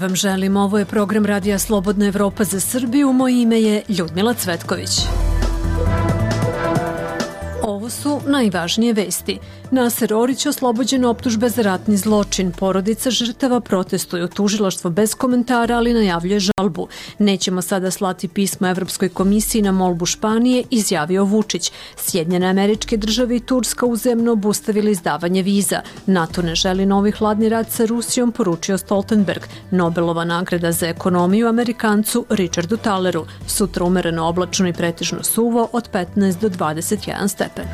vam želim. Ovo je program Radija Slobodna Evropa za Srbiju. Moje ime je Ljudmila Cvetković. Ovo su najvažnije vesti. Naser Orić oslobođen optužbe za ratni zločin. Porodica žrtava protestuju. Tužilaštvo bez komentara, ali najavljuje žalbu. Nećemo sada slati pismo Evropskoj komisiji na molbu Španije, izjavio Vučić. Sjedinjene Američke Države i Turska uzajamno obustavili izdavanje viza. NATO ne želi novi hladni rat sa Rusijom, poručio Stoltenberg. Nobelova nagrada za ekonomiju Amerikancu Richardu Taleru. Sutra umereno oblačno i pretežno suvo od 15 do 21 stepen.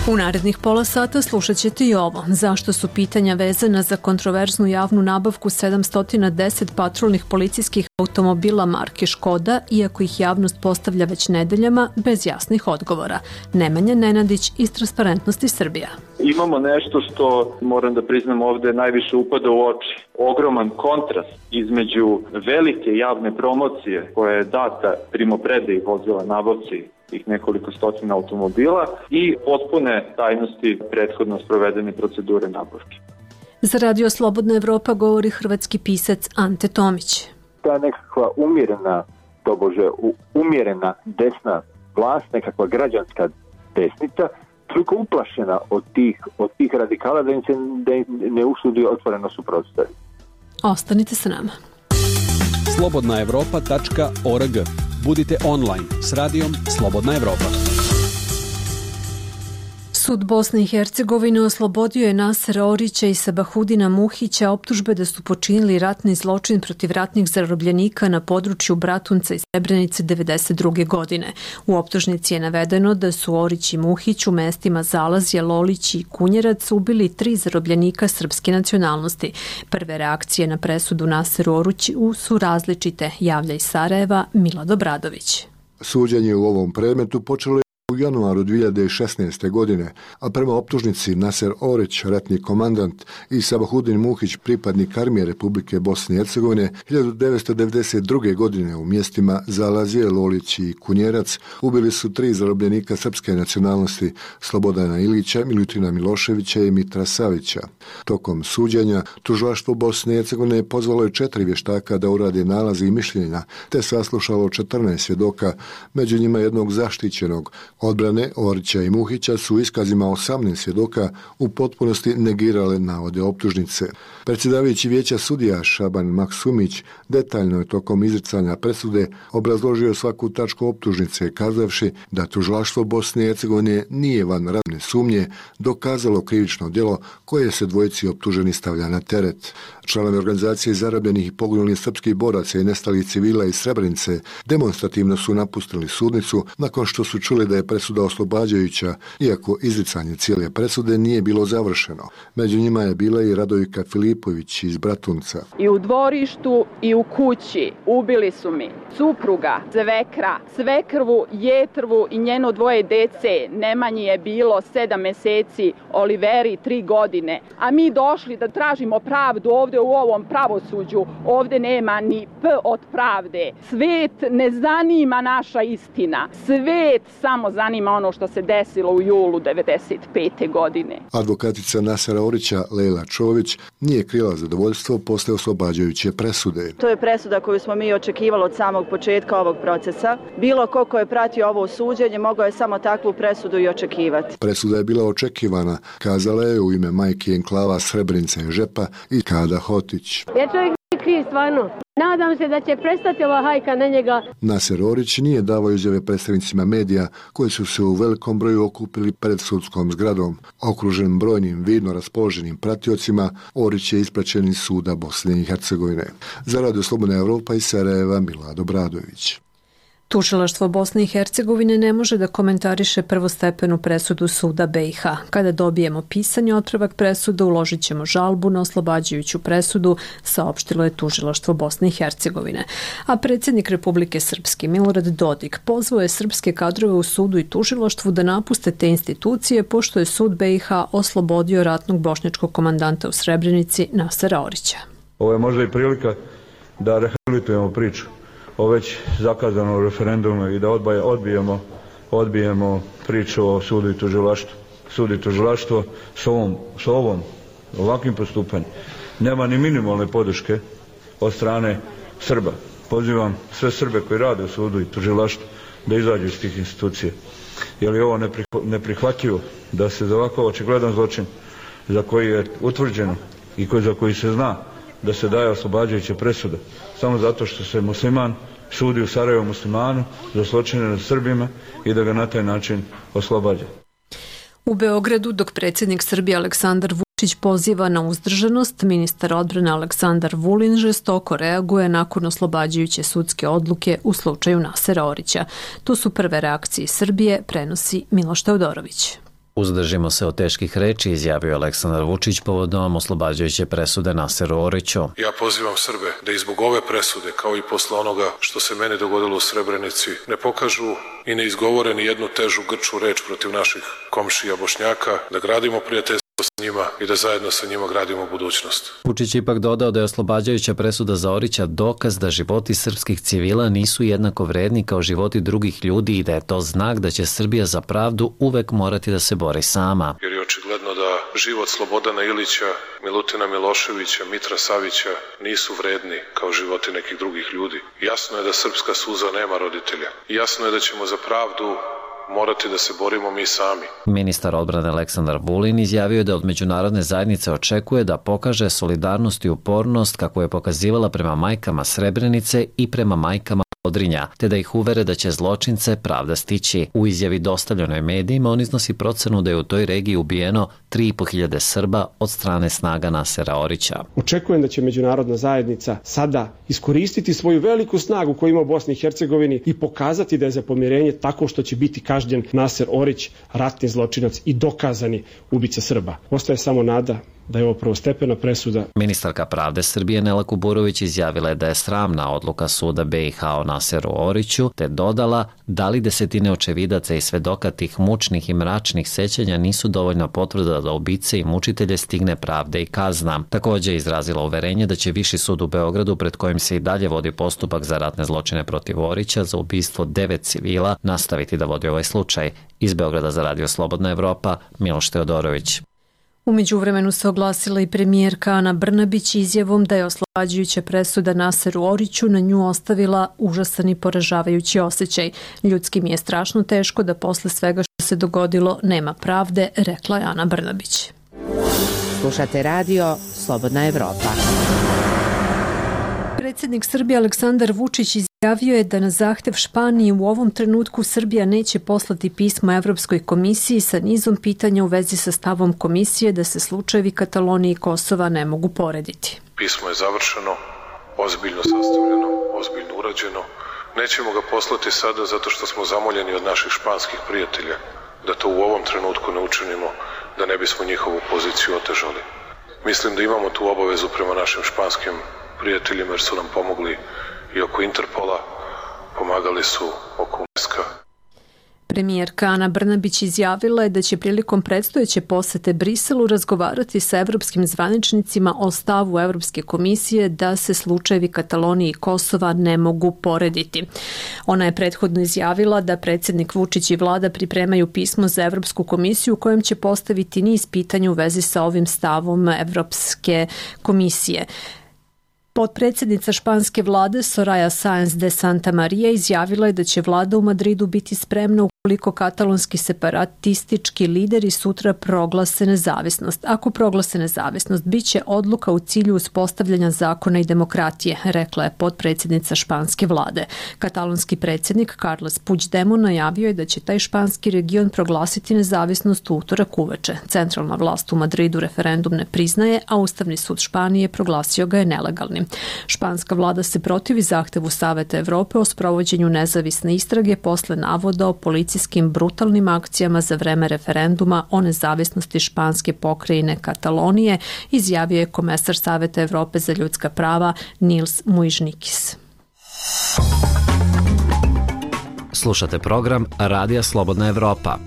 U narednih pola sata slušat ćete i ovo. Zašto su pitanja vezana za kontroverznu javnu nabavku 710 patrolnih policijskih automobila marke Škoda, iako ih javnost postavlja već nedeljama bez jasnih odgovora. Nemanja Nenadić iz Transparentnosti Srbija. Imamo nešto što, moram da priznam ovde, najviše upada u oči. Ogroman kontrast između velike javne promocije koja je data primopredaji vozila nabavci tih nekoliko stotina automobila i potpune tajnosti prethodno sprovedene procedure nabavke. Za Radio Slobodna Evropa govori hrvatski pisac Ante Tomić. Ta nekakva umjerena desna vlast, nekakva građanska desnica, toliko uplašena od tih radikala da im se ne usudi otvoreno suprotstaviti. Ostanite sa nama. slobodnaevropa.org. Budite online s radijom Slobodna Evropa. Sud Bosne i Hercegovine oslobodio je Nasera Orića i Sabahudina Muhića optužbe da su počinili ratni zločin protiv ratnih zarobljenika na području Bratunca i Srebrenice 1992. godine. U optužnici je navedeno da su Orić i Muhić u mestima Zalazje, Lolić i Kunjerac ubili 3 zarobljenika srpske nacionalnosti. Prve reakcije na presudu Naseru Oriću su različite, javlja iz Sarajeva Milad Obradović. Suđenje u ovom predmetu počelo u januaru 2016. godine, a prema optužnici Naser Orić, ratni komandant, i Sabahudin Muhić, pripadnik armije Republike Bosne i Hercegovine, 1992. godine u mjestima Zalazije, Lolić i Kunjerac ubili su 3 zarobljenika srpske nacionalnosti, Slobodana Ilića, Milutina Miloševića i Mitra Savića. Tokom suđenja, tužilaštvo Bosne i Hercegovine pozvalo je 4 vještaka da urade nalaze i mišljenja, te saslušalo 14 svjedoka, među njima jednog zaštićenog. Odbrane Orića i Muhića su iskazima 18 svjedoka u potpunosti negirale navode optužnice. Predsjedavajući vijeća sudija Šaban Maksumić detaljno je tokom izricanja presude obrazložio svaku tačku optužnice, kazavši da tužilaštvo Bosne i Hercegovine nije van radne sumnje dokazalo krivično djelo koje se dvojici optuženi stavlja na teret. Članovi organizacije zarobljenih i poginulih srpskih boraca i nestalih civila iz Srebrenice demonstrativno su napustili sudnicu nakon što su čuli da je presuda oslobađajuća, iako izricanje cijele presude nije bilo završeno. Među njima je bila i Radojka Filipović iz Bratunca. I u dvorištu i u kući ubili su mi supruga, svekra, svekrvu, jetrvu i njeno 2 dece. Nemanji je bilo 7 meseci, Oliveri 3 godine. A mi došli da tražimo pravdu ovde u ovom pravosuđu. Ovde nema ni P od pravde. Svet ne zanima naša istina. Svet samo zanima ono što se desilo u julu 1995. godine. Advokatica Nasera Orića, Lejla Čović, nije krila zadovoljstvo posle oslobađajuće presude. To je presuda koju smo mi očekivali od samog početka ovog procesa. Bilo ko je pratio ovo suđenje mogao je samo takvu presudu i očekivati. Presuda je bila očekivana, kazala je u ime majke enklava Srebrenice i Žepa i Kada Hotić. Ja čovjek kriv stvarno. Nadam se da će prestati ova hajka na njega. Naser Orić nije davao izjave predstavnicima medija koji su se u velikom broju okupili pred sudskom zgradom. Okružen brojnim vidno raspoloženim pratiocima, Orić je ispraćen iz suda Bosne i Hercegovine. Za Radio Slobodna Evropa iz Sarajeva Milad Obradović. Tužilaštvo Bosne i Hercegovine ne može da komentariše prvostepenu presudu suda BiH. Kada dobijemo pisani otpravak presude, uložit ćemo žalbu na oslobađajuću presudu, saopštilo je Tužilaštvo Bosne i Hercegovine. A predsjednik Republike Srpske Milorad Dodik pozvao je srpske kadrove u sudu i tužilaštvu da napuste te institucije, pošto je sud BiH oslobodio ratnog bošnjačkog komandanta u Srebrenici Nasera Orića. Ovo je možda i prilika da rehabilitujemo priču o već zakazanom referendumu i da odbijemo priču o sudu i tužilaštvu. Sud i tužilaštvo s ovom ovakvim postupanjem nema ni minimalne podrške od strane Srba. Pozivam sve Srbe koji rade u sudu i tužilaštvu da izađu iz tih institucija. Jer je ovo neprihvatljivo da se za ovako očigledan zločin za koji je utvrđeno i za koji se zna da se daje oslobađajuća presuda samo zato što se musliman sudi u Sarajevu muslimanu za zločine nad Srbima i da ga na taj način oslobađa. U Beogradu, dok predsjednik Srbije Aleksandar Vučić poziva na uzdržanost, ministar odbrane Aleksandar Vulin žestoko reaguje nakon oslobađajuće sudske odluke u slučaju Nasera Orića. To su prve reakcije Srbije, prenosi Miloš Teodorović. Uzdržimo se od teških reči, izjavio Aleksandar Vučić povodom oslobađajuće presude Naseru Oriću. Ja pozivam Srbe da i zbog ove presude, kao i posle onoga što se meni dogodilo u Srebrenici, ne pokažu i ne izgovore ni jednu težu grču reč protiv naših komšija Bošnjaka, da gradimo prijateljstvo s njima i da zajedno sa njima gradimo budućnost. Vučić ipak dodao da je oslobađajuća presuda za Orića dokaz da životi srpskih civila nisu jednako vredni kao životi drugih ljudi i da je to znak da će Srbija za pravdu uvek morati da se bori sama. Jer je očigledno da život Slobodana Ilića, Milutina Miloševića, Mitra Savića nisu vredni kao životi nekih drugih ljudi. Jasno je da srpska suza nema roditelja. Jasno je da ćemo za pravdu morati da se borimo mi sami. Ministar odbrane Aleksandar Vulin izjavio je da od međunarodne zajednice očekuje da pokaže solidarnost i upornost kako je pokazivala prema majkama Srebrenice i prema majkama Podrinja, te da ih uvere da će zločince pravda stići. U izjavi dostavljenoj medijima on iznosi procenu da je u toj regiji ubijeno 3.500 Srba od strane snaga Nasera Orića. Očekujem da će međunarodna zajednica sada iskoristiti svoju veliku snagu koju ima u Bosni i Hercegovini i pokazati da je za pomirenje tako što će biti kažnjen Naser Orić, ratni zločinac i dokazani ubica Srba. Ostaje samo nada da je ovo prvostepena presuda. Ministarka pravde Srbije Nela Kuburović izjavila je da je sramna odluka suda BiH o Naseru Oriću, te dodala da li desetine očevidaca i svedoka tih mučnih i mračnih sećanja nisu dovoljna potvrda da ubice i mučitelje stigne pravde i kazna. Također je izrazila uverenje da će Viši sud u Beogradu, pred kojim se i dalje vodi postupak za ratne zločine protiv Orića za ubistvo 9 civila, nastaviti da vodi ovaj slučaj. Iz Beograda za Radio Slobodna Evropa, Miloš Teodorović. U međuvremenu se oglasila i premijerka Ana Brnabić izjavom da je oslobađajuća presuda Naseru Oriću na nju ostavila užasan i poražavajući osjećaj. Ljudski mi je strašno teško da posle svega što se dogodilo nema pravde, rekla je Ana Brnabić. Slušate radio Slobodna Evropa. Predsjednik Srbije Aleksandar Vučić izjavio je da na zahtev Španiji u ovom trenutku Srbija neće poslati pismo Evropskoj komisiji sa nizom pitanja u vezi sa stavom komisije da se slučajevi Katalonije i Kosova ne mogu porediti. Pismo je završeno, ozbiljno sastavljeno, ozbiljno urađeno. Nećemo ga poslati sada zato što smo zamoljeni od naših španskih prijatelja da to u ovom trenutku ne učinimo, da ne bismo njihovu poziciju otežali. Mislim da imamo tu obavezu prema našim španskim prijateljima jer su nam pomogli i oko Interpola, pomagali su oko UNESCO. Premijerka Ana Brnabić izjavila je da će prilikom predstojeće posete Briselu razgovarati sa evropskim zvaničnicima o stavu Evropske komisije da se slučajevi Katalonije i Kosova ne mogu porediti. Ona je prethodno izjavila da predsjednik Vučić i vlada pripremaju pismo za Evropsku komisiju u kojem će postaviti niz pitanja u vezi sa ovim stavom Evropske komisije. Potpredsjednica španske vlade Soraya Sáenz de Santamaría izjavila je da će vlada u Madridu biti spremna ukoliko katalonski separatistički lideri sutra proglase nezavisnost. Ako proglase nezavisnost, bit će odluka u cilju uspostavljanja zakona i demokratije, rekla je potpredsjednica španske vlade. Katalonski predsjednik Carles Puigdemont najavio je da će taj španski region proglasiti nezavisnost u utorak uveče. Centralna vlast u Madridu referendum ne priznaje, a Ustavni sud Španije proglasio ga je nelegalnim. Španska vlada se protivi zahtevu Saveta Evrope o sprovođenju nezavisne istrage posle navoda o policijskim brutalnim akcijama za vreme referenduma o nezavisnosti španske pokrajine Katalonije, izjavio je komesar Saveta Evrope za ljudska prava Nils Muižnikis. Slušate program Radija Slobodna Evropa.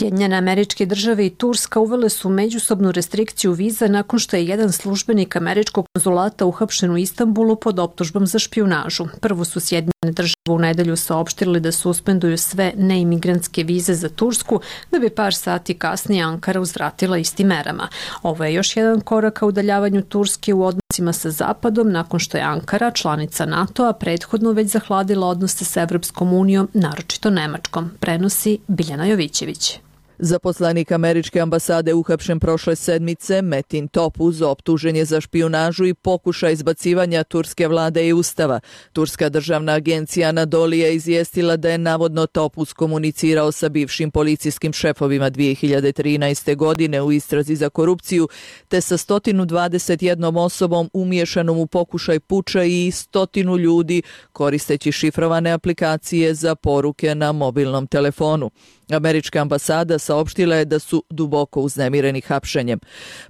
Sjedinjene Američke Države i Turska uvele su međusobnu restrikciju viza nakon što je jedan službenik američkog konzulata uhapšen u Istanbulu pod optužbom za špijunažu. Prvo su Sjedinjene Države u nedelju saopštili da suspenduju sve neimigrantske vize za Tursku, da bi par sati kasnije Ankara uzvratila istim merama. Ovo je još jedan korak ka udaljavanju Turske u odnosima sa Zapadom nakon što je Ankara, članica NATO-a, prethodno već zahladila odnose sa Evropskom unijom, naročito Nemačkom, prenosi Biljana Jovićević. Zaposlenik američke ambasade uhapšen prošle sedmice, Metin Topuz, optužen je za špijunažu i pokušaj izbacivanja turske vlade i ustava. Turska državna agencija Anadolu je izvijestila da je navodno Topuz komunicirao sa bivšim policijskim šefovima 2013. godine u istrazi za korupciju, te sa 121 osobom umiješanom u pokušaj puča i 100 ljudi koristeći šifrovane aplikacije za poruke na mobilnom telefonu. Američka ambasada saopštila je da su duboko uznemireni hapšenjem.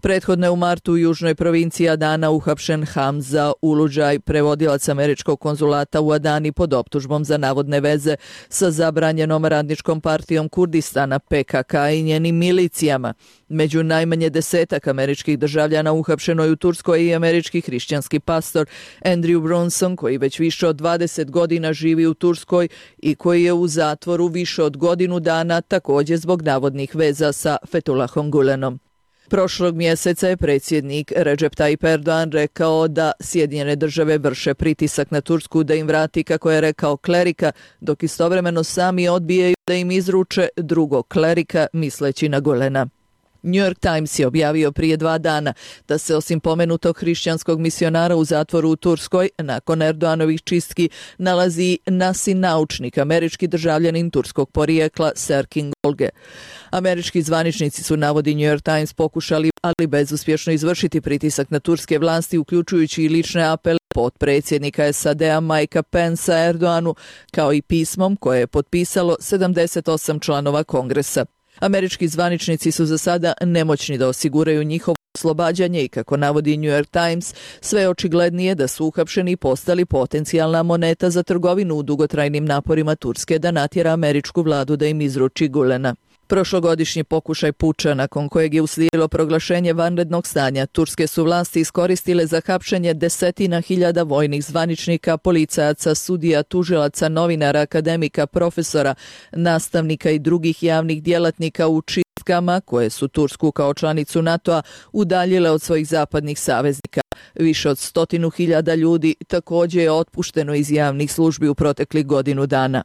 Prethodno je u martu u južnoj provinciji Adana uhapšen Hamza Uludžaj, prevodilac američkog konzulata u Adani pod optužbom za navodne veze sa zabranjenom radničkom partijom Kurdistana PKK i njenim milicijama. Među najmanje 10 američkih državljana uhapšeno je u Turskoj i američki hrišćanski pastor Andrew Brunson, koji već više od 20 godina živi u Turskoj i koji je u zatvoru više od godinu dana, također zbog navodnih veza sa Fethullahom Gulenom. Prošlog mjeseca je predsjednik Recep Tayyip Erdogan rekao da Sjedinjene Države vrše pritisak na Tursku da im vrati, kako je rekao, klerika, dok istovremeno sami odbijaju da im izruče drugog klerika, misleći na Gulena. New York Times je objavio prije 2 dana da se osim pomenutog hrišćanskog misionara u zatvoru u Turskoj nakon Erdoganovih čistki nalazi Nasin naučnik, američki državljanin turskog porijekla Serkin Golge. Američki zvaničnici su, navodi New York Times, pokušali, ali bezuspješno, izvršiti pritisak na turske vlasti, uključujući i lične apele potpredsjednika SAD-a Mikea Pensa Erdoganu, kao i pismom koje je potpisalo 78 članova Kongresa. Američki zvaničnici su za sada nemoćni da osiguraju njihovo oslobađanje i, kako navodi New York Times, sve je očiglednije da su uhapšeni i postali potencijalna moneta za trgovinu u dugotrajnim naporima Turske da natjera američku vladu da im izruči Gulena. Prošlogodišnji pokušaj puča, nakon kojeg je uslijedilo proglašenje vanrednog stanja, turske su vlasti iskoristile za hapšenje desetina hiljada vojnih zvaničnika, policajaca, sudija, tužilaca, novinara, akademika, profesora, nastavnika i drugih javnih djelatnika u čistkama koje su Tursku kao članicu NATO-a udaljile od svojih zapadnih saveznika. Više od 100.000 ljudi također je otpušteno iz javnih službi u proteklih godinu dana.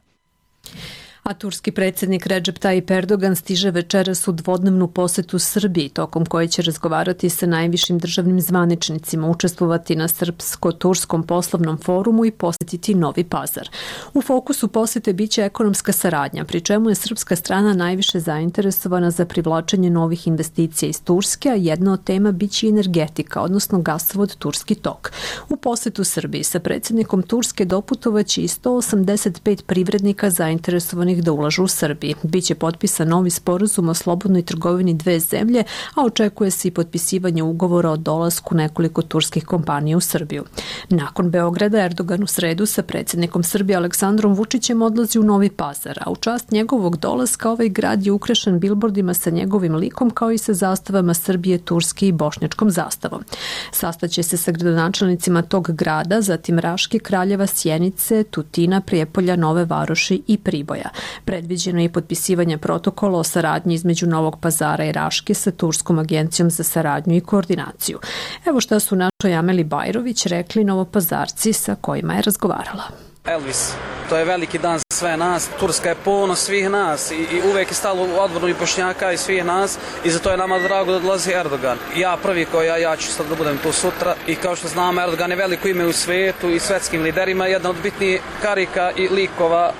A turski predsjednik Recep Tayyip Erdogan stiže večeras u dvodnevnu posetu Srbiji, tokom koje će razgovarati sa najvišim državnim zvaničnicima, učestvovati na Srpsko-turskom poslovnom forumu i posjetiti Novi Pazar. U fokusu posjete biće ekonomska saradnja, pri čemu je srpska strana najviše zainteresovana za privlačenje novih investicija iz Turske, a jedna od tema biće i energetika, odnosno gasovod Turski tok. U posjetu Srbiji sa predsjednikom Turske doputovaće i 185 privrednika zainteresovanih da ulažu u Srbiji. Biće potpisan novi sporazum o slobodnoj trgovini dve zemlje, a očekuje se i potpisivanje ugovora o dolasku nekoliko turskih kompanija u Srbiju. Nakon Beograda, Erdogan u sredu sa predsjednikom Srbije Aleksandrom Vučićem odlazi u Novi Pazar, a u čast njegovog dolaska ovaj grad je ukrašen bilbordima sa njegovim likom, kao i sa zastavama Srbije, Turske i bošnjačkom zastavom. Sastaće se sa gradonačelnicima tog grada, zatim Raške, Kraljeva, Sjenice, Tutina, Prijepolja, Nove Varoši i Priboja. Predviđeno je i potpisivanje protokola o saradnji između Novog Pazara i Raške sa Turskom agencijom za saradnju i koordinaciju. Evo šta su našoj Ameli Bajrović rekli Novopazarci sa kojima je razgovarala. Elvis, to je veliki dan za sve nas. Turska je ponos svih nas i uvijek je stalo u odbranu i Bošnjaka i svih nas i zato je nama drago da dolazi Erdogan. Ja prvi ja ću sad da budem tu sutra i kao što znamo, Erdogan je veliko ime u svijetu i svjetskim liderima, jedan od bitnijih karika i likova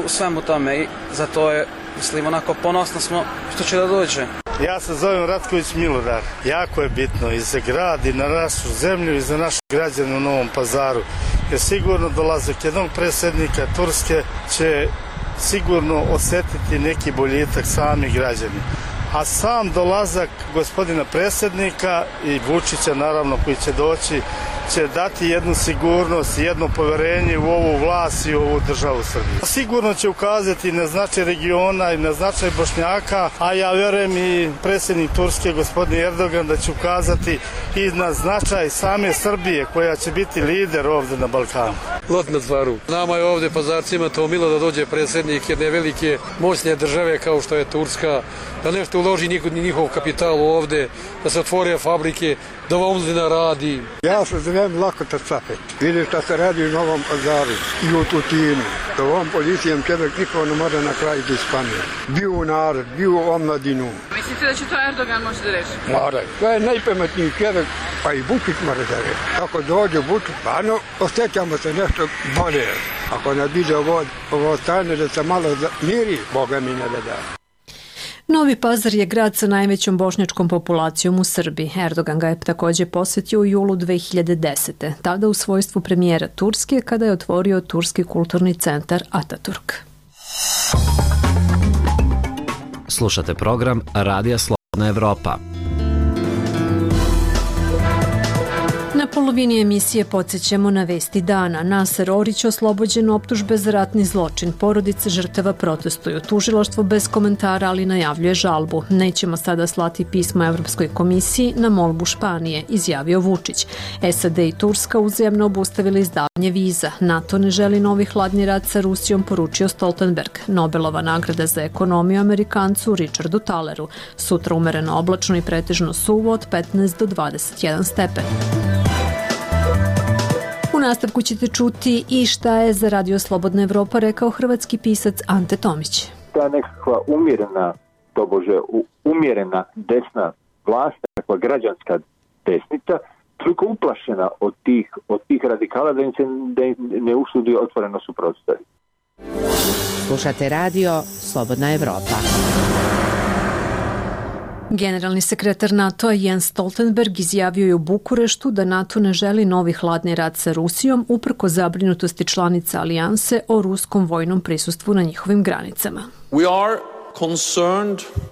u svemu tome i zato je, mislim, onako ponosno smo što će da dođe. Ja se zovem Ratković Milorad. Jako je bitno i za grad i na našu zemlju i za naše građane u Novom Pazaru. Jer sigurno dolazak jednog predsjednika Turske će sigurno osjetiti neki boljitak sami građani. A sam dolazak gospodina predsjednika i Vučića, naravno, koji će doći, će dati jednu sigurnost, jedno poverenje u ovu vlast i u ovu državu Srbiju. Sigurno će ukazati na značaj regiona i na značaj Bošnjaka, a ja verujem i predsjednik Turske, gospodin Erdogan, da će ukazati i na značaj same Srbije, koja će biti lider ovde na Balkanu. Lot na stvaru. Nama je ovde pazarcima to milo da dođe predsjednik jedne velike moćne države kao što je Turska, da nešto uloži njihov kapital ovde, da se otvore fabrike, da ova omladina radi. Ja se zovem Lakota Capet. Vidim šta se radi u Novom Pazaru i u Tutinu. Da ovom policijom čovjek niko ne može na kraju da ispane. Bio u narod, bio u omladinu. Mislite da će to Erdogan moći da reši? Mora. To je najpametniji čovjek, pa i Vučić mora da reši. Ako dođe Vučić, pa osjećamo se nešto bolje. Ako ne bide ovo stane da se malo miri, Boga mi ne da. Novi Pazar je grad sa najvećom bošnjačkom populacijom u Srbiji. Erdogan ga je također posjetio u julu 2010. Tada u svojstvu premijera Turske kada je otvorio Turski kulturni centar Ataturk. Slušate program Radija Slobodna Evropa. Na polovini emisije podsjećamo na vesti dana. Naser Orić oslobođen optužbe za ratni zločin. Porodice žrtava protestuju. Tužilaštvo bez komentara, ali najavljuje žalbu. Nećemo sada slati pismo Evropskoj komisiji na molbu Španije, izjavio Vučić. SAD i Turska uzajamno obustavili izdavanje viza. NATO ne želi novi hladni rat sa Rusijom, poručio Stoltenberg. Nobelova nagrada za ekonomiju Amerikancu Richardu Taleru. Sutra umereno oblačno i pretežno suvo od 15 do 21 stepen. U nastavku ćete čuti i šta je za Radio Slobodna Evropa rekao hrvatski pisac Ante Tomić. Ta nekakva umjerena desna vlast, nekakva građanska desnica, toliko uplašena od tih radikala da im se ne usudi otvoreno suprotstaviti. Slušate Radio Slobodna Evropa. Generalni sekretar NATO-a Jens Stoltenberg izjavio je u Bukureštu da NATO ne želi novi hladni rat sa Rusijom uprkos zabrinutosti članica alijanse o ruskom vojnom prisustvu na njihovim granicama.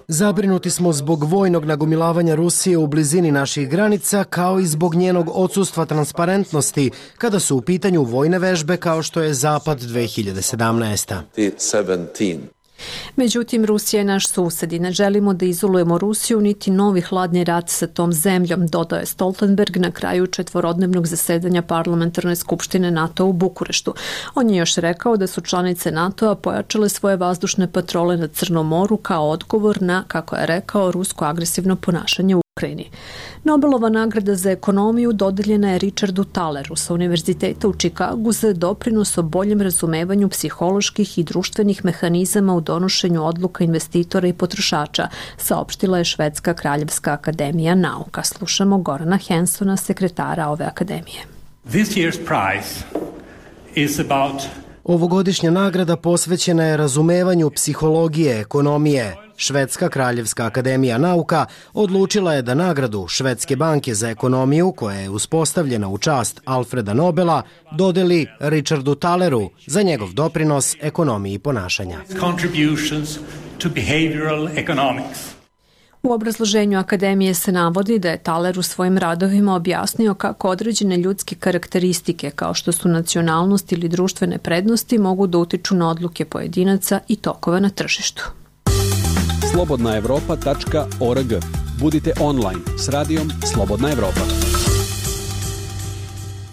Zabrinuti smo zbog vojnog nagomilavanja Rusije u blizini naših granica, kao i zbog njenog odsustva transparentnosti kada su u pitanju vojne vežbe kao što je Zapad 2017. Međutim, Rusija je naš sused i ne želimo da izolujemo Rusiju niti novi hladni rat sa tom zemljom, dodao je Stoltenberg na kraju četvorodnevnog zasedanja Parlamentarne skupštine NATO u Bukureštu. On je još rekao da su članice NATO-a pojačale svoje vazdušne patrole na Crnom moru kao odgovor na, kako je rekao, rusko agresivno ponašanje u Ukrajini. Nobelova nagrada za ekonomiju dodeljena je Richardu Taleru sa Univerziteta u Čikagu za doprinos o boljem razumevanju psiholoških i društvenih mehanizama u donošenju odluka investitora i potrošača, saopštila je Švedska kraljevska akademija nauka. Slušamo Gorana Hensona, sekretara ove akademije. This year's prize is about Ovogodišnja nagrada posvećena je razumevanju psihologije, ekonomije. Švedska kraljevska akademija nauka odlučila je da nagradu Švedske banke za ekonomiju, koja je uspostavljena u čast Alfreda Nobela, dodeli Richardu Taleru za njegov doprinos ekonomiji ponašanja. contributions to behavioral economics. U obrazloženju akademije se navodi da je Taler u svojim radovima objasnio kako određene ljudske karakteristike kao što su nacionalnost ili društvene prednosti mogu da utiču na odluke pojedinaca i tokove na tržištu. slobodnaevropa.org. Budite online s radijom Slobodna Evropa.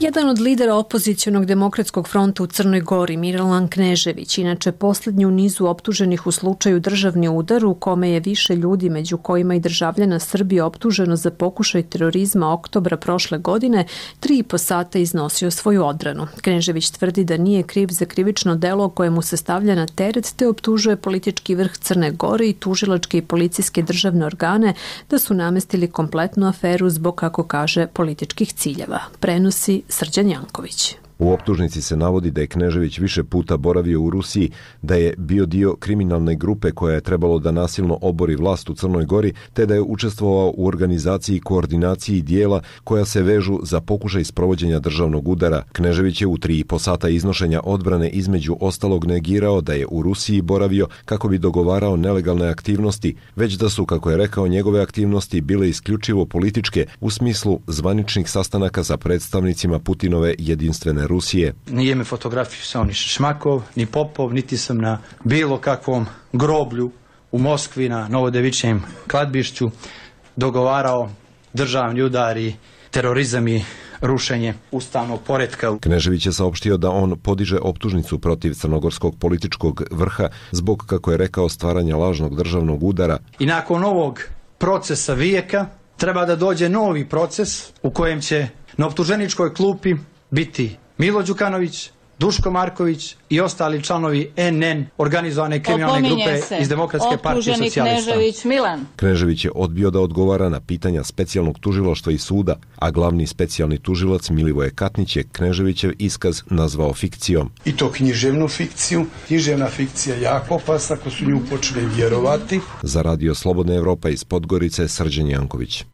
Jedan od lidera opozicionog demokratskog fronta u Crnoj Gori, Milan Knežević, inače posljednji u nizu optuženih u slučaju državni udar u kome je više ljudi, među kojima i državljana Srbije, optuženo za pokušaj terorizma oktobra prošle godine, 3,5 sata iznosio svoju odbranu. Knežević tvrdi da nije kriv za krivično delo koje mu se stavlja na teret, te optužuje politički vrh Crne Gore i tužilačke i policijske državne organe da su namestili kompletnu aferu zbog, kako kaže, političkih ciljeva. Prenosi Srđan Janković. U optužnici se navodi da je Knežević više puta boravio u Rusiji, da je bio dio kriminalne grupe koja je trebalo da nasilno obori vlast u Crnoj Gori, te da je učestvovao u organizaciji i koordinaciji dijela koja se vežu za pokušaj sprovođenja državnog udara. Knežević je u 3,5 sata iznošenja odbrane između ostalog negirao da je u Rusiji boravio kako bi dogovarao nelegalne aktivnosti, već da su, kako je rekao, njegove aktivnosti bile isključivo političke u smislu zvaničnih sastanaka sa predstavnicima Putinove jedinstvene Rusije. Nije me fotografisao ni Šmakov, ni Popov, niti sam na bilo kakvom groblju u Moskvi na Novodevičijem kladbišću dogovarao državni udar i terorizam i rušenje ustavnog poretka. Knežević je saopštio da on podiže optužnicu protiv crnogorskog političkog vrha zbog, kako je rekao, stvaranja lažnog državnog udara. I nakon ovog procesa vijeka treba da dođe novi proces u kojem će na optuženičkoj klupi biti Milo Đukanović, Duško Marković i ostali članovi NN, organizovane kriminalne grupe iz Demokratske partije socijalista. Knežević Milan. Knežević je odbio da odgovara na pitanja specijalnog tužilaštva i suda, a glavni specijalni tužilac Milivoje Katnić je Kneževićev iskaz nazvao fikcijom. I to književnu fikciju. Književna fikcija je jako opasna ako su nju počeli vjerovati. Za Radio Slobodna Evropa iz Podgorice, Srđan Janković.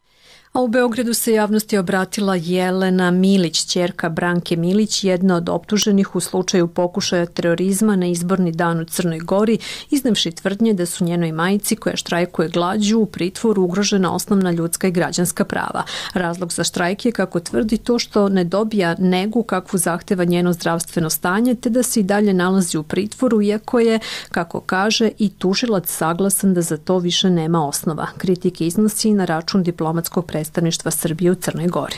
A u Beogradu se javnosti obratila Jelena Milić, ćerka Branke Milić, jedna od optuženih u slučaju pokušaja terorizma na izborni dan u Crnoj Gori, iznevši tvrdnje da su njenoj majci, koja štrajkuje glađu, u pritvoru ugrožena osnovna ljudska i građanska prava. Razlog za štrajk je, kako tvrdi, to što ne dobija negu kakvu zahteva njeno zdravstveno stanje, te da se i dalje nalazi u pritvoru, iako je, kako kaže, i tužilac saglasan da za to više nema osnova. Kritike iznosi na račun diplomatskog predstavništva Srbije u Crnoj Gori.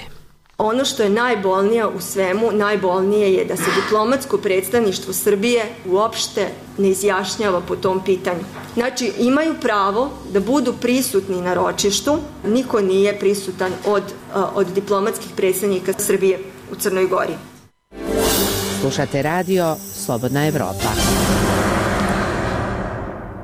Ono što je najbolnije u svemu, najbolnije je da se diplomatsko predstavništvo Srbije uopšte ne izjašnjava po tom pitanju. Znači, imaju pravo da budu prisutni na ročištu, niko nije prisutan od diplomatskih predstavnika Srbije u Crnoj Gori. Slušate radio Slobodna Evropa.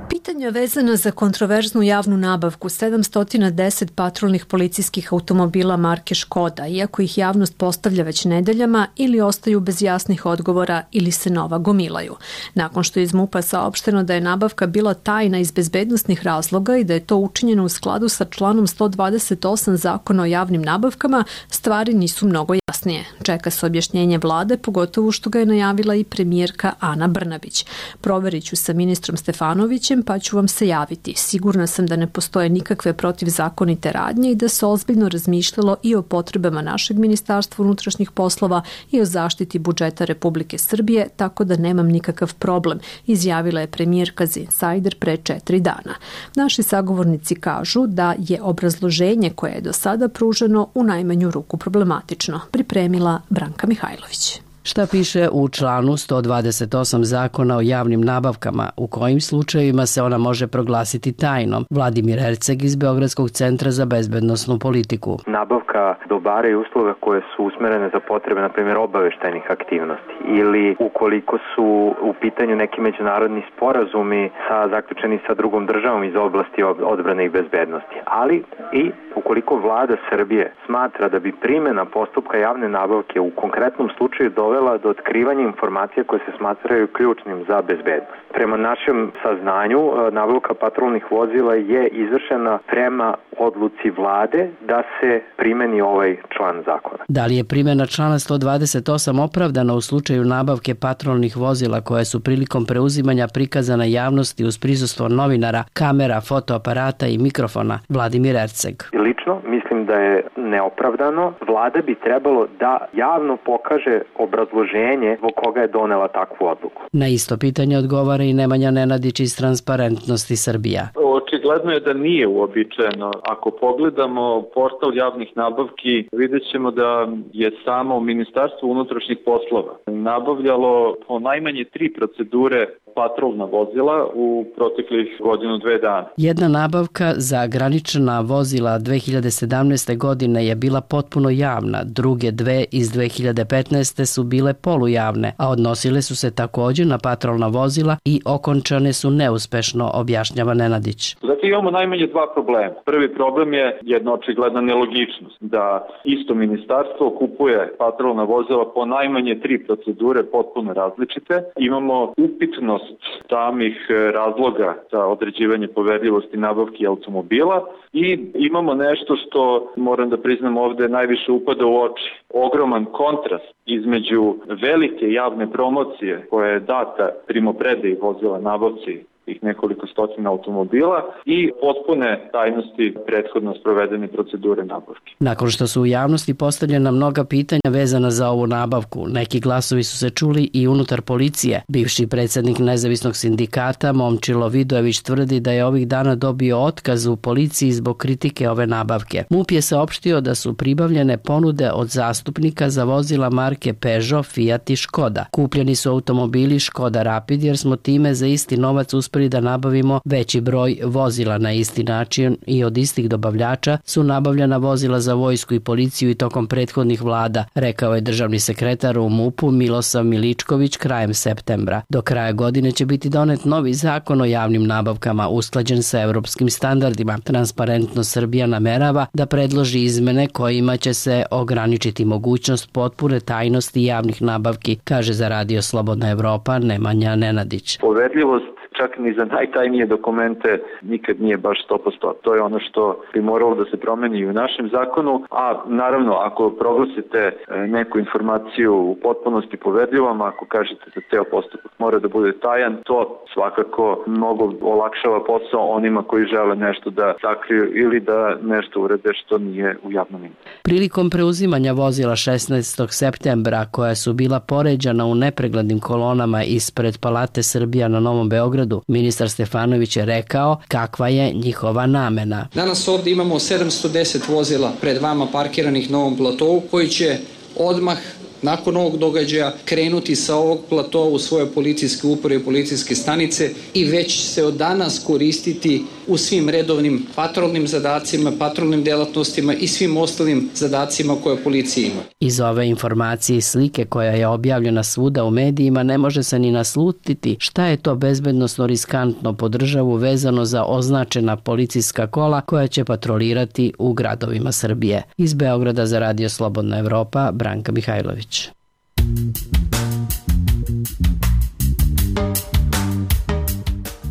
Pitanja vezana za kontroverznu javnu nabavku 710 patrolnih policijskih automobila marke Škoda, iako ih javnost postavlja već nedeljama, ili ostaju bez jasnih odgovora ili se nova gomilaju. Nakon što je iz MUP-a saopšteno da je nabavka bila tajna iz bezbednosnih razloga i da je to učinjeno u skladu sa članom 128 Zakona o javnim nabavkama, stvari nisu mnogo jasnije. Čeka se objašnjenje vlade, pogotovo što ga je najavila i premijerka Ana Brnabić. Proverit ću sa ministrom Stefanovićem, pa ću vam se javiti. Sigurna sam da ne postoje nikakve protivzakonite radnje i da se ozbiljno razmišljalo i o potrebama našeg Ministarstva unutrašnjih poslova i o zaštiti budžeta Republike Srbije, tako da nemam nikakav problem, izjavila je premijerka za Insider pre 4 dana. Naši sagovornici kažu da je obrazloženje koje je do sada pruženo u najmanju ruku problematično, pripremila Branka Mihajlović. Šta piše u članu 128 Zakona o javnim nabavkama, u kojim slučajevima se ona može proglasiti tajnom? Vladimir Erceg iz Beogradskog centra za bezbednosnu politiku. Nabavka dobara i usluga koje su usmerene za potrebe, na primjer, obaveštajnih aktivnosti ili ukoliko su u pitanju neki međunarodni sporazumi zaključeni sa drugom državom iz oblasti odbrane i bezbednosti. Ali i ukoliko vlada Srbije smatra da bi primjena postupka javne nabavke u konkretnom slučaju dovela do otkrivanja informacija koje se smatraju ključnim za bezbednost. Prema našem saznanju, nabavka patrolnih vozila je izvršena prema odluci vlade da se primeni ovaj član zakona. Da li je primjena člana 128 opravdana u slučaju nabavke patrolnih vozila koje su prilikom preuzimanja prikazana javnosti uz prisustvo novinara, kamera, fotoaparata i mikrofona? Vladimir Erceg. Lično mislim da je neopravdano. Vlada bi trebalo da javno pokaže obrazloženje zbog koga je donela takvu odluku. Na isto pitanje odgovara i Nemanja Nenadić iz Transparentnosti Srbija. Očigledno je da nije uobičajeno. Ako pogledamo portal javnih nabavki, vidjet ćemo da je samo Ministarstvo unutrašnjih poslova nabavljalo po najmanje 3 procedure patrolna vozila u proteklih godinu, dve dana. Jedna nabavka za granična vozila 2017. godine je bila potpuno javna, druge dve iz 2015. su bile polujavne, a odnosile su se također na patrolna vozila i okončane su neuspešno, objašnjava Nenadić. Zato imamo najmanje dva problema. Prvi problem je jedna očigledna nelogičnost, da isto ministarstvo kupuje patrolna vozila po najmanje 3 procedure potpuno različite. Imamo upitnost samih razloga za određivanje poverljivosti nabavki automobila i imamo nešto što, moram da priznam ovde, najviše upada u oči. Ogroman kontrast između velike javne promocije koja je data primopredaji vozila nabavci tih nekoliko stotina automobila i potpune tajnosti prethodno sprovedene procedure nabavke. Nakon što su u javnosti postavljena mnoga pitanja vezana za ovu nabavku, neki glasovi su se čuli i unutar policije. Bivši predsjednik nezavisnog sindikata Momčilo Vidojević tvrdi da je ovih dana dobio otkaz u policiji zbog kritike ove nabavke. MUP je saopštio da su pribavljene ponude od zastupnika za vozila marke Peugeot, Fiat i Škoda. Kupljeni su automobili Škoda Rapid jer smo time za isti novac uspeli da nabavimo veći broj vozila na isti način i od istih dobavljača su nabavljena vozila za vojsku i policiju i tokom prethodnih vlada, rekao je državni sekretar u MUP-u Milosav Miličković krajem septembra. Do kraja godine će biti donet novi zakon o javnim nabavkama usklađen sa evropskim standardima. Transparentno Srbija namerava da predloži izmene kojima će se ograničiti mogućnost potpune tajnosti javnih nabavki, kaže za Radio Slobodna Evropa Nemanja Nenadić. Poverljivost čak ni za najtajnije dokumente nikad nije baš 100%. To je ono što bi moralo da se promeni i u našem zakonu, a naravno ako proglasite neku informaciju u potpunosti poverljivom, ako kažete da ceo postupak mora da bude tajan, to svakako mnogo olakšava posao onima koji žele nešto da sakriju ili da nešto urede što nije u javnom interesu. Prilikom preuzimanja vozila 16. septembra koja su bila poređana u nepreglednim kolonama ispred Palate Srbija na Novom Beogradu, ministar Stefanović je rekao kakva je njihova namena. Danas ovdje imamo 710 vozila pred vama parkiranih na ovom platovu koji će odmah nakon ovog događaja krenuti sa ovog platoa u svoje policijske uprave i policijske stanice i već se od danas koristiti u svim redovnim patrolnim zadacima, patrolnim delatnostima i svim ostalim zadacima koje policija ima. Iz ove informacije i slike koja je objavljena svuda u medijima ne može se ni naslutiti šta je to bezbednosno riskantno po državu vezano za označena policijska kola koja će patrolirati u gradovima Srbije. Iz Beograda za Radio Slobodna Evropa, Branka Mihajlović.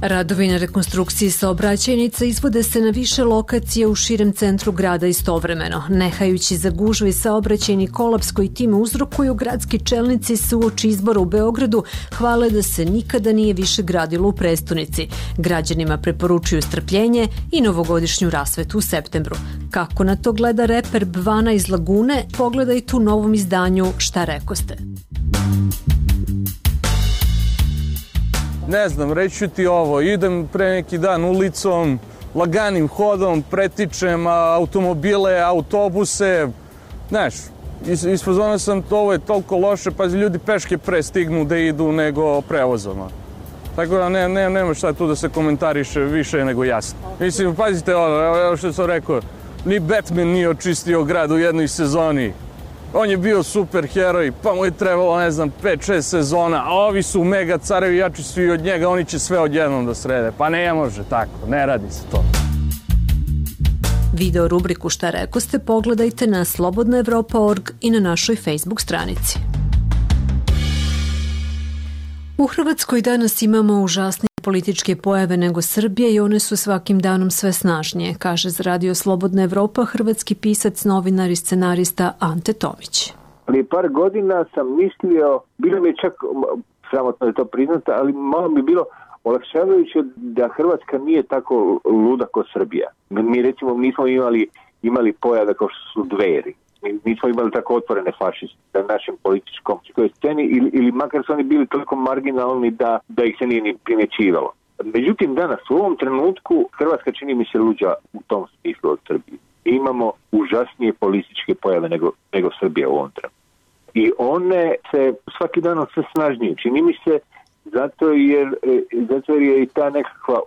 Radovi na rekonstrukciji saobraćajnica izvode se na više lokacije u širem centru grada istovremeno. Nehajući za gužve i saobraćajni kolaps koji time uzrokuju, gradski čelnici se uoči izbora u Beogradu hvale da se nikada nije više gradilo u prestonici. Građanima preporučuju strpljenje i novogodišnju rasvetu u septembru. Kako na to gleda reper Bvana iz Lagune, pogledajte u novom izdanju Šta rekoste. Ne znam, reći ću ti ovo, idem pre neki dan ulicom, laganim hodom, pretičem automobile, autobuse, znaš, isfazona sam, ovo je toliko loše, pa ljudi peške pre stignu da idu nego prevozom. Tako da nema šta tu da se komentariše više nego jasno. Mislim, pazite evo što sam rekao, ni Batman nije očistio grad u jednoj sezoni. On je bio super heroj, pa mu je trebalo, 5-6 sezona, a ovi su mega carevi, jači svi od njega, oni će sve odjednom da srede. Pa ne može tako, ne radi se to. Video rubriku Šta rekoste pogledajte na slobodnaevropa.org i na našoj Facebook stranici. U Hrvatskoj danas imamo užasnije političke pojave nego Srbije i one su svakim danom sve snažnije, kaže za Radio Slobodna Evropa hrvatski pisac, novinar i scenarista Ante Tomić. Prije par godina sam mislio, bilo mi je čak sramotno je to priznati, ali malo mi bilo olakšavajuće da Hrvatska nije tako luda kao Srbija. Mi recimo nismo imali pojave kao što su Dveri. Nismo imali tako otvorene fašiste na našem političkom sceni ili makar su oni bili toliko marginalni da ih se nije ni primjećivalo. Međutim, danas u ovom trenutku Hrvatska čini mi se luđa u tom smislu od Srbije. Imamo užasnije političke pojave nego Srbija u ovom trenutku. I one se svaki dan sve snažnije. Čini mi se zato jer je i ta nekakva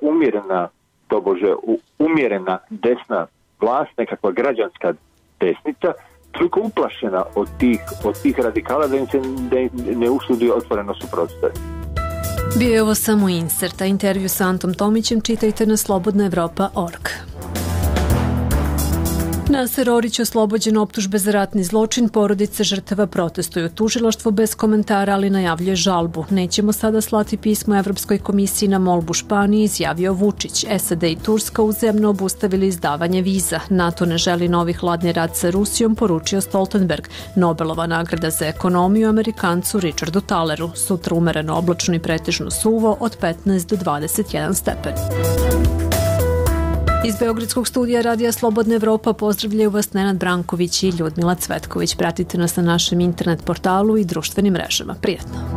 umjerena desna vlast, nekakva građanska desnica, toliko uplašena od tih radikala da im se ne usudi otvoreno suprotstaviti. Bio je ovo samo insert, a intervju sa Antom Tomićem čitajte na slobodnaevropa.org. Naser Orić oslobođen optužbe za ratni zločin, porodice žrtava protestuju. Tužilaštvo bez komentara, ali najavljuje žalbu. Nećemo sada slati pismo Evropskoj komisiji na molbu Španiji, izjavio Vučić. SAD i Turska uzemno obustavili izdavanje viza. NATO ne želi novi hladni rat sa Rusijom, poručio Stoltenberg. Nobelova nagrada za ekonomiju Amerikancu Richardu Taleru. Sutra umereno oblačno i pretežno suvo od 15 do 21 stepen. Iz Beogradskog studija Radija Slobodna Evropa pozdravljaju vas Nenad Branković i Ljudmila Cvetković. Pratite nas na našem internet portalu i društvenim mrežama. Prijetno!